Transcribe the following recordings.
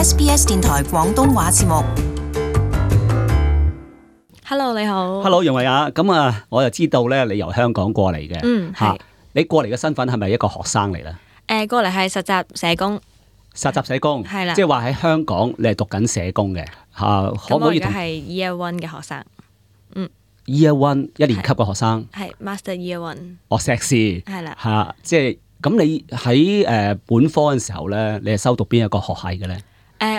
SBS 電台廣東話節目。Hello， 你好。Hello， 楊慧雅，咁啊，我就知道咧，你由香港過嚟嘅，係。你過嚟嘅身份係咪一個學生嚟咧？過嚟係實習社工。實習社工，係啦，即係話喺香港你係讀緊社工嘅，可唔可以同？咁我而家係 Year One 嘅學生。Year One 一年級嘅學生。係 Master Year One。碩士。係啦。嚇，即係咁你喺本科嘅時候咧，你係修讀邊一個學系嘅咧？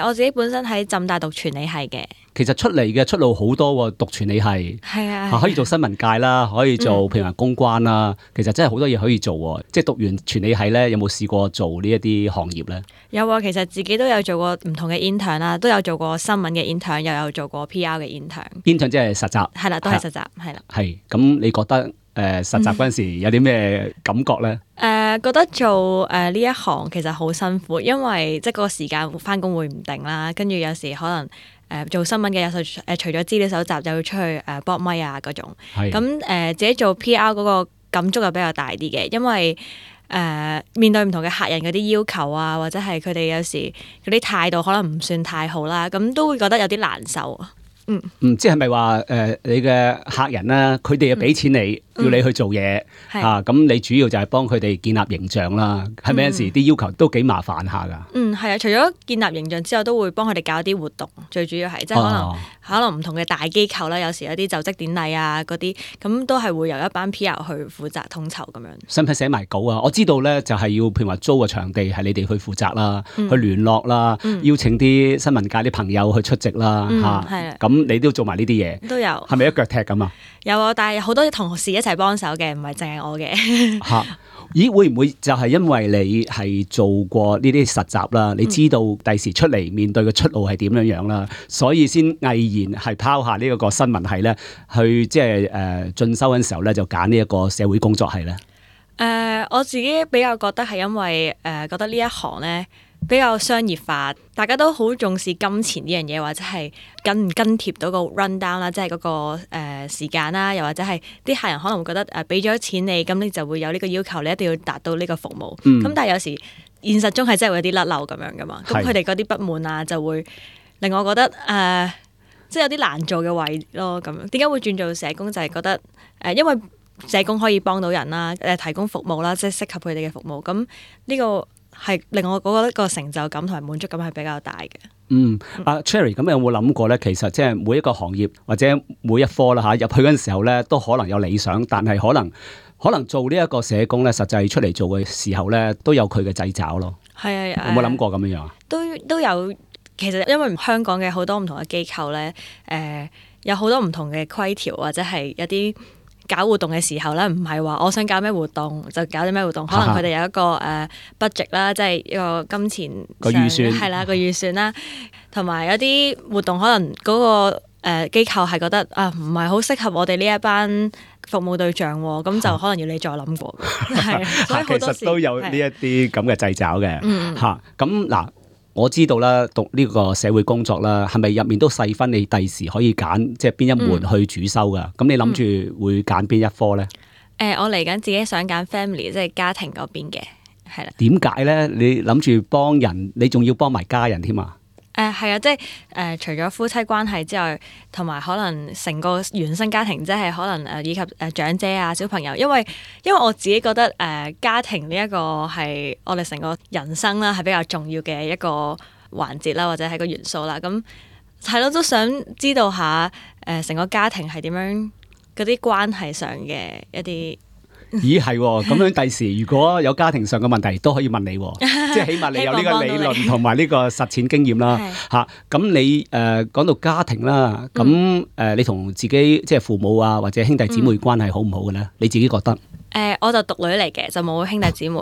我自己本身喺浸大讀傳理系嘅。其實出嚟嘅出路好多喎，讀傳理系係啊，可以做新聞界啦，可以做譬如話公關啦，其實真係好多嘢可以做喎。即係讀完傳理系咧，有冇試過做呢一啲行業咧？有啊，其實自己都有做過唔同嘅 intern 啦，都有做過新聞嘅 intern，又有做過 PR 嘅 intern。intern 即係實習。係啦，都係實習，係啦。係，咁你覺得實習嗰陣時有啲咩感覺咧？覺得做呢一行其實好辛苦，因為即係嗰個時間返工會唔定啦，跟住有時可能做新聞嘅有時除咗資料搜集，就要出去搏咪啊嗰種。咁自己做 PR 嗰個感觸又比較大啲嘅，因為面對唔同嘅客人嗰啲要求啊，或者係佢哋有時嗰啲態度可能唔算太好啦，咁都會覺得有啲難受啊。即係咪話你嘅客人啦，佢哋又俾錢你，要你去做嘢咁你主要就係幫佢哋建立形象啦，係咪有陣時啲要求都幾麻煩下噶？係啊，除咗建立形象之後，都會幫佢哋搞啲活動，最主要係即係可能唔同嘅大機構啦，有時有啲就職典禮啊嗰啲，咁都係會由一班 PR 去負責統籌咁樣。使唔使寫埋稿啊？我知道咧，就係要譬如話租個場地係你哋去負責啦，去聯絡啦，邀請啲新聞界啲朋友去出席啦，咁你都做埋呢啲嘢，都有。係咪一腳踢咁啊？有啊，但係好多同事一齊幫手嘅，唔係淨係我嘅。咦，會唔會就係因為你係做過呢啲實習啦，你知道第時出嚟面對嘅出路係點樣樣啦，所以先毅然係拋下呢一個新聞系咧，去即係進修嗰陣時候咧，就揀呢一個社會工作系咧？我自己比較覺得係因為覺得呢一行咧比較商業化，大家都好重視金錢呢樣嘢，或者係跟唔跟貼到個 run down 啦，即係嗰個時間啦，又或者係啲客人可能會覺得俾咗錢你，咁你就會有呢個要求，你一定要達到呢個服務。咁但係有時現實中係真係會有啲甩漏咁樣噶嘛，咁佢哋嗰啲不滿啊，就會令我覺得即係有啲難做嘅位咯。咁點解會轉做社工？就係覺得因為社工可以幫到人啦，提供服務啦，即係適合佢哋嘅服務。咁呢個係令我覺得個成就感同埋滿足感係比較大嘅。Cherry， 咁有冇諗過咧？其實即係每一個行業或者每一科啦入去嗰陣時候咧，都可能有理想，但係可能做呢一個社工咧，實際出嚟做嘅時候咧，都有佢嘅掣肘咯。係啊，有冇諗過咁樣樣啊？都有。其實因為香港嘅好多唔同嘅機構咧，有好多唔同嘅規條，或者係有啲搞活動嘅時候咧，唔係話我想搞咩活動就搞啲咩活動，可能佢哋有一個budget 啦，即係一個金錢個預算係啦，個預算啦，同埋有啲活動可能嗰個機構係覺得唔係好適合我哋呢一班服務對象喎，咁就可能要你再諗過。係，所以好多時其實都有呢一啲咁嘅掣肘嘅咁嗱。我知道啦，讀呢個社會工作啦，係咪入面都細分你第時可以揀即係邊一門去主修噶？咁你諗住會揀邊一科咧？我嚟緊自己想揀 family， 即係家庭嗰邊嘅，係啦。點解咧？你諗住幫人，你仲要幫埋家人添啊？係啊，即係除咗夫妻關係之外，同埋可能成個原生家庭，即係可能以及長者啊、小朋友，因為我自己覺得家庭呢一個係我哋成個人生啦，係比較重要嘅一個環節啦，或者係個元素啦。咁係咯，都想知道下成個家庭係點樣，嗰啲關係上嘅一啲。咦係喎，咁樣第時如果有家庭上嘅問題都可以問你喎，即係起碼你有呢個理論同埋呢個實踐經驗啦嚇。咁你講到家庭啦，咁你同自己即係父母啊或者兄弟姊妹關係好唔好嘅咧？你自己覺得？我就獨女嚟嘅，就冇兄弟姊妹。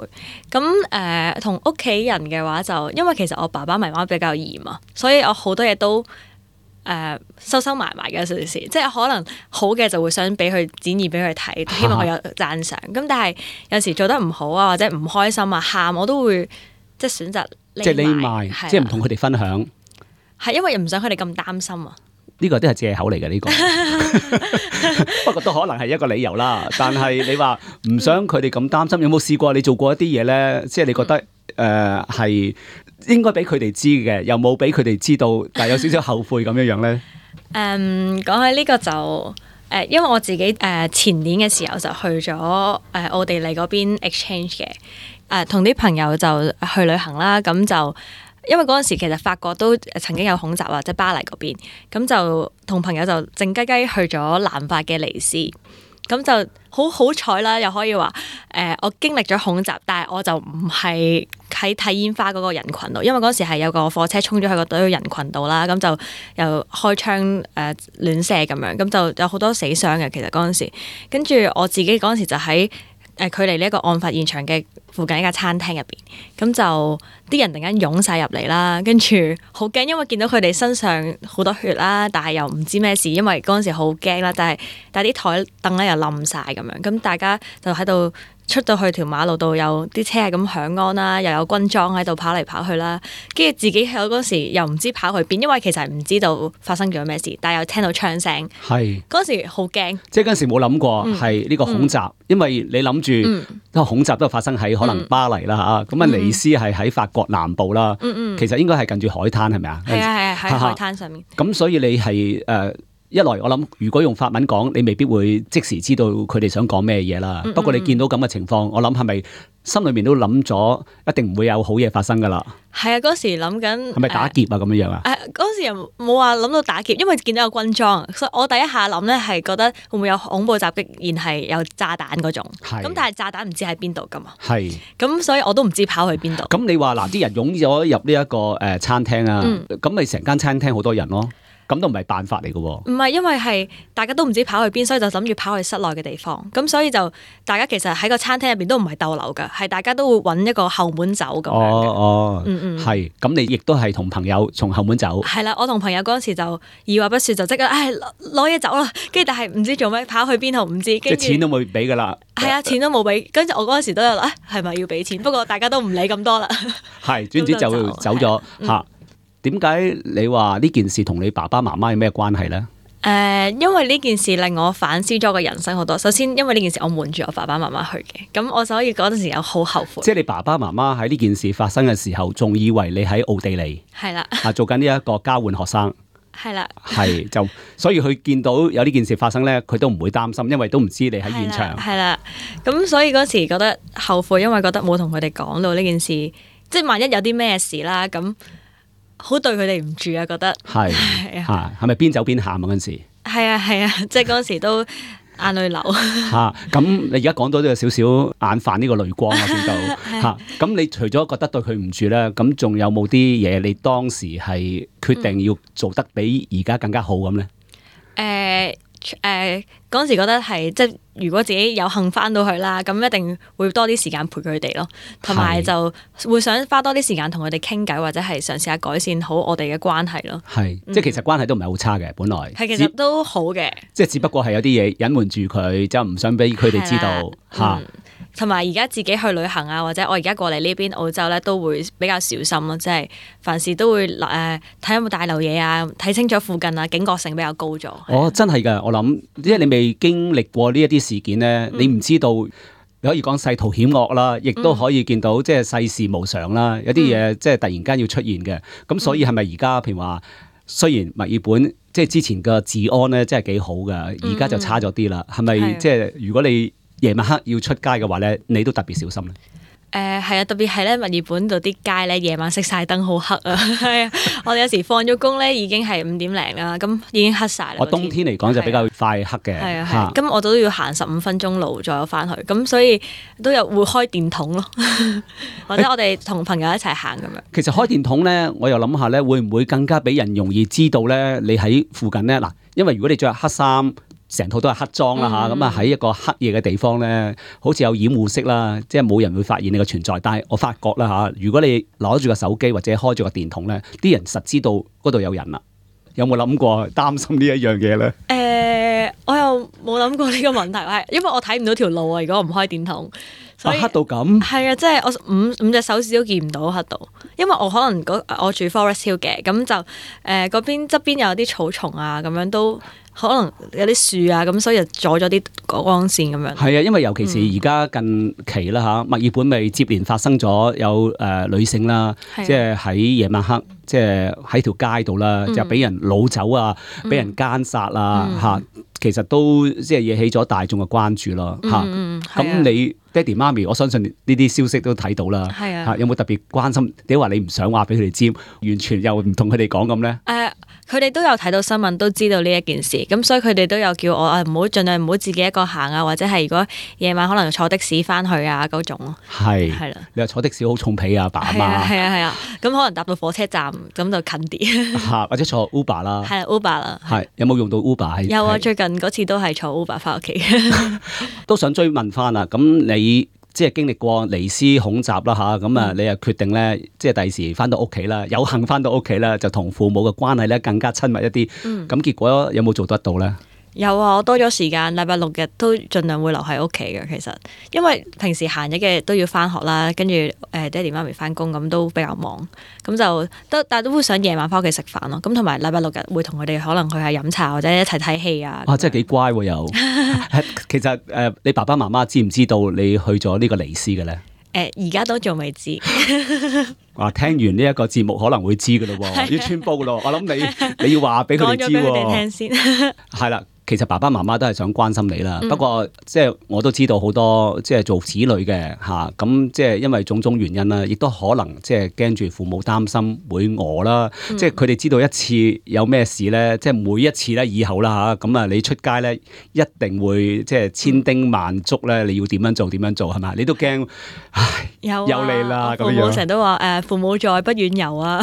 咁同屋企人嘅話就，因為其實我爸爸媽媽比較嚴啊，所以我好多嘢都收埋嘅有時，即係可能好嘅就會想俾佢展現俾佢睇，希望佢有讚賞。咁但係有時做得唔好啊，或者唔開心啊，喊我都會即係選擇匿埋，即係唔同佢哋分享。係因為唔想佢哋咁擔心啊。呢個都係借口嚟嘅呢個，不過都可能係一個理由啦。但係你話唔想佢哋咁擔心，有冇試過你做過一啲嘢咧？即係你覺得係應該俾佢哋知嘅，又冇俾佢哋知道，但係有少少後悔咁樣樣咧。講起呢個就因為我自己前年嘅時候就去咗奧地利嗰邊 exchange 嘅，同啲朋友就去旅行啦。咁就因為嗰陣時其實法國都曾經有恐襲啊，即係巴黎嗰邊，咁就同朋友就靜雞雞去咗南法嘅尼斯。咁就好彩啦，又可以話我經歷咗恐襲，但係我就唔係喺睇煙花嗰個人群度，因為嗰時係有個貨車衝咗去個堆人群度啦，咁就又開槍亂射咁樣，咁就有好多死傷嘅。其實嗰陣時，跟住我自己嗰陣時就喺距離呢一個案發現場嘅附近一間餐廳入邊，咁就啲人突然間湧晒入嚟啦，跟住好驚，因為見到佢哋身上好多血啦，但係又唔知咩事，因為嗰陣時好驚啦，但係啲台凳咧又冧晒咁樣，咁大家就喺度出到去條馬路度，有啲車係咁響安啦，又有軍裝喺度跑嚟跑去啦，跟住自己喺嗰時又唔知跑去邊，因為其實唔知道發生咗咩事，但係又聽到槍聲，係嗰時好驚，即係嗰時冇諗過係呢個恐襲，因為你諗住恐襲都發生喺可能巴黎啦嚇，咁啊尼斯係喺法國南部啦，其實應該係近住海灘係咪啊？係啊係喺海灘上面。咁所以你係一來我諗，如果用法文講，你未必會即時知道佢哋想講咩嘢啦。不過你見到咁嘅情況，我諗係咪心裏面都諗咗，一定唔會有好嘢發生噶啦？係啊，嗰時諗緊係咪打劫啊咁樣樣啊？嗰時又冇話諗到打劫，因為見到有軍裝，所以我第一下諗咧係覺得會唔會有恐怖襲擊，然係有炸彈嗰種。咁但係炸彈唔知喺邊度噶嘛？係。咁所以我都唔知跑去邊度。咁你話嗱，啲人湧咗入呢一個餐廳啊，咁咪成間餐廳好多人咯。咁都唔係辦法嚟嘅喎，唔係因為係大家都唔知跑去邊，所以就諗住跑去室內嘅地方。咁所以就大家其實喺個餐廳入邊都唔係逗留㗎，係大家都會揾一個後門走咁樣嘅。係。咁你亦都係同朋友從後門走。係啦，我同朋友嗰陣時就二話不說就即刻攞嘢走啦。跟住但係唔知做咩跑去邊度唔知。即係錢都冇俾㗎啦。係啊，錢都冇俾。跟住我嗰陣時都有係咪要俾錢？不過大家都唔理咁多啦。係，總之就走咗嚇。點解你話呢件事同你爸爸媽媽有咩關係呢？因為呢件事令我反思咗個人生好多。首先，因為呢件事我瞞住我爸爸媽媽去嘅，咁我所以嗰陣時有好後悔。即係你爸爸媽媽喺呢件事發生嘅時候，仲以為你喺奧地利，係啦，做緊呢一個交換學生，係啦，係就所以佢見到有呢件事發生呢，佢都唔會擔心，因為都唔知你喺現場。係啦，咁所以嗰時覺得後悔，因為覺得冇同佢哋講到呢件事，即係萬一有啲咩事啦咁。好對佢哋唔住啊！覺得係係咪邊走邊喊啊？嗰陣時係啊，即係嗰陣時都眼淚流嚇。咁你而家講到都有少少眼泛呢個淚光啊，見到嚇。咁你除咗覺得對佢唔住咧，咁仲有冇啲嘢你當時係決定要做得比而家更加好咁咧？嗰陣時覺得係即係如果自己有幸翻到去啦，咁一定會多啲時間陪佢哋咯，同埋就會想花多啲時間同佢哋傾偈，或者係嘗試下改善好我哋嘅關係咯。係，即係其實關係都唔係好差嘅，本來係其實都好嘅，即係只不過係有啲嘢隱瞞住佢，就唔想俾佢哋知道嚇。同埋而家自己去旅行啊，或者我而家過嚟呢邊澳洲咧，都會比較小心咯，即係凡事都會睇有冇大漏嘢啊，睇清楚附近啊，警覺性比較高咗。哦，真係㗎，我諗，即係你未經歷過呢一啲事件咧，你唔知道，你可以講世途險惡啦，亦都可以見到即係世事無常啦，有啲嘢即係突然間要出現嘅。咁所以係咪而家譬如話，雖然墨爾本即係之前嘅治安咧，真係幾好㗎，而家就差咗啲啦。係咪即係如果你夜晚黑要出街嘅話咧，你都特別小心咧。係啊，特別係咧墨爾本度啲街咧，夜晚熄晒燈好黑啊。係啊，我哋有時放咗工咧，已經係5點零啦，咁已經黑晒啦。我冬天嚟講就比較快黑嘅。係啊，咁我都要行15分鐘路再翻去，咁所以都有會開電筒咯，或者我哋同朋友一齊行咁樣。其實開電筒咧，我又諗下咧，會唔會更加俾人容易知道咧？你喺附近咧嗱，因為如果你着黑衫。成套都係黑裝啦嚇，咁啊喺一個黑夜嘅地方咧，好似有掩護式啦，即係冇人會發現你嘅存在。但係我發覺啦嚇，如果你攞住個手機或者開住個電筒咧，啲人實知道嗰度有人啦。有冇諗過擔心呢一樣嘢咧？我又冇諗過呢個問題，係因為我睇唔到條路啊。如果我唔開電筒，所以黑到咁係啊，即係我五隻手指都見唔到黑到，因為我可能我住 Forest Hill 嘅，咁就嗰邊側邊有啲草叢啊，咁樣都可能有啲樹啊，咁所以就阻咗啲光線咁樣。係啊，因為尤其是而家近期啦嚇，墨爾本咪接連發生咗有女性啦，即係喺夜晚黑，即係喺條街度啦，就俾人擄走啊，俾人姦殺啊嚇，其實都即係惹起咗大眾嘅關注咯嚇。咁你爹哋媽咪，我相信呢啲消息都睇到啦。係啊，有冇特別關心？點解話你唔想話俾佢哋知，完全又唔同佢哋講咁咧？佢哋都有睇到新聞，都知道呢一件事，咁所以佢哋都有叫我唔好盡量唔好自己一個行啊，或者係如果夜晚可能坐的士翻去啊嗰種咯。係啦，你話坐的士好重皮啊，爸阿媽。係啊，咁可能搭到火車站咁就近啲。或者坐 Uber 啦。係 Uber 啦。係有冇用到 Uber？有啊，最近嗰次都係坐 Uber 翻屋企。都想追問翻啊，咁你即係經歷過尼斯恐襲啦嚇，咁啊你又決定咧，即係第時翻到屋企啦，有幸翻到屋企啦，就同父母嘅關係咧更加親密一啲。咁結果有冇做得到咧？有啊，我多咗時間，禮拜六日都盡量會留喺屋企嘅。其實因為平時閒日嘅都要翻學啦，跟住爹哋媽咪翻工，咁都比較忙，咁就但係都會想夜晚翻屋企食飯咯。咁同埋禮拜六日會同佢哋可能去下飲茶或者一齊睇戲啊。哇，真係幾乖喎又。其實你爸爸媽媽知唔知道你去咗呢個尼斯嘅咧？而家都仲未知。哇！聽完呢一個節目可能會知噶咯喎，要穿煲噶咯。我諗你要話俾佢哋知喎。講咗俾佢哋聽先。係啦。其實爸爸媽媽都係想關心你啦，不過即係我都知道好多即係做子女嘅嚇，咁即係因為種種原因啦，亦都可能即係驚住父母擔心會餓啦，即係佢哋知道一次有咩事咧，即係每一次咧以後啦嚇，咁啊你出街咧一定會即係千叮萬囑咧，你要點樣做係咪？你都驚，唉，又嚟啦咁樣。父母成日都話父母在不遠遊啊，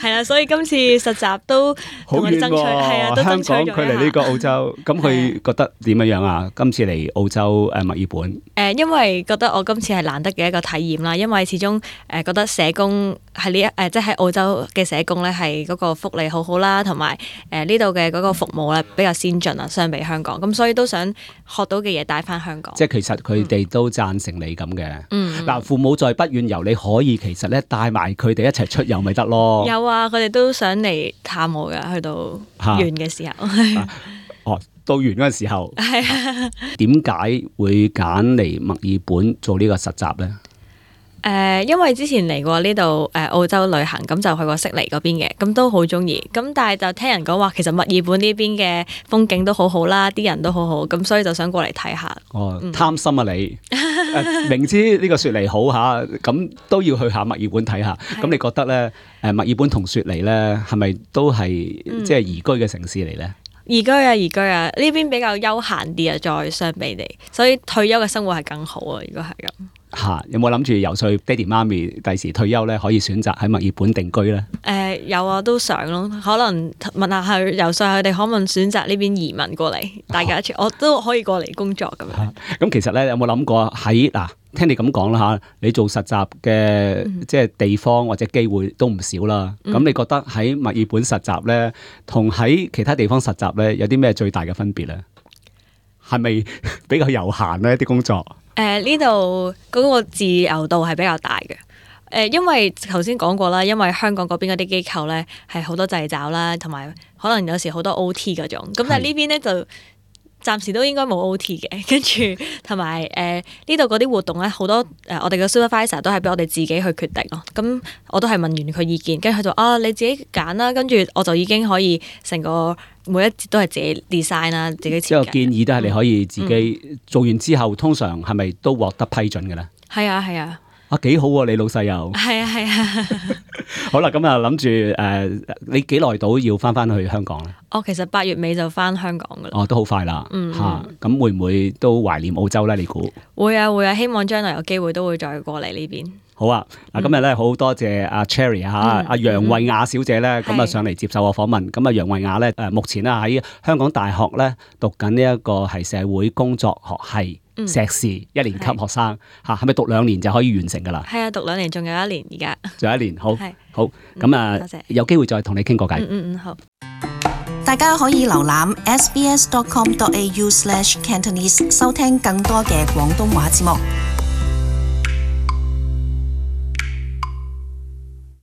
係啦，所以今次實習都同佢爭取，係啊，都爭取咗。香港距離呢個澳洲，咁佢覺得點樣啊？今次嚟澳洲墨爾本，因為覺得我今次係難得嘅一個體驗啦。因為始終覺得社工係即係喺澳洲嘅社工咧，係嗰個福利好好啦，同埋呢度嘅嗰個服務咧比較先進啊，相比香港。咁所以都想學到嘅嘢帶翻香港。即係其實佢哋都贊成你咁嘅。嗱，父母在不遠遊，你可以其實咧帶埋佢哋一齊出遊咪得咯。有啊，佢哋都想嚟探我㗎，去到完嘅時候。到完嗰個時候，點解會揀嚟墨爾本做呢個實習咧？因為之前嚟過呢度澳洲旅行，咁就去過悉尼嗰邊嘅，咁都好中意。咁但係就聽人講話，其實墨爾本呢邊嘅風景都好好啦，啲人都好好，咁所以就想過嚟睇下。貪心啊你！明知呢個雪梨好嚇，咁都要去下墨爾本睇下。咁你覺得咧？墨爾本同雪梨咧，係咪都係即係宜居嘅城市嚟咧？宜居啊，呢邊比較休閒啲啊，再相比地，所以退休嘅生活係更好啊。如果係咁嚇，有冇諗住游說爹哋媽咪第時退休咧，可以選擇喺墨爾本定居咧？有啊，都想咯，可能問下佢游說佢哋可唔可以選擇呢邊移民過嚟，大家一齊我都可以過嚟工作咁樣。咁其實咧，有冇諗過喺嗱？聽你咁講啦嚇，你做實習嘅即係地方或者機會都唔少啦。咁你覺得喺墨爾本實習咧，同喺其他地方實習咧，有啲咩最大嘅分別咧？係咪比較悠閒咧啲工作？呢度嗰個自由度係比較大嘅。因為頭先講過啦，因為香港嗰邊嗰啲機構咧係好多掣肘啦，同埋可能有時好多 OT 嗰種。咁但係呢邊咧就暫時都應該冇 OT 嘅，跟住同埋呢度嗰啲活動咧，好多我哋嘅 supervisor 都係俾我哋自己去決定咯。咁我都係問完佢意見，跟住佢就你自己揀啦。跟住我就已經可以成個每一節都係自己 design 啦，自己設計。即係建議都係你可以自己做完之後，通常係咪都獲得批准嘅咧？係啊，係啊。幾好喎！你老細又係啊。好啦，咁啊諗住你幾耐到要翻去香港咧？其實8月尾就翻香港噶啦。都好快啦。咁會唔會都懷念澳洲咧？你估？會啊！希望將來有機會都會再過嚟呢邊。好啊！嗱，今日咧好多謝阿 Cherry 阿楊慧雅小姐咧，咁啊上嚟接受我訪問。咁啊楊慧雅咧目前咧喺香港大學咧讀緊呢一個係社會工作學系碩士1年級學生嚇，係咪讀2年就可以完成噶啦？係啊，讀2年，仲有1年而家。仲有1年，好，咁啊，有機會再同你傾過偈。好。大家可以瀏覽 sbs.com.au/Cantonese 收聽更多嘅廣東話節目。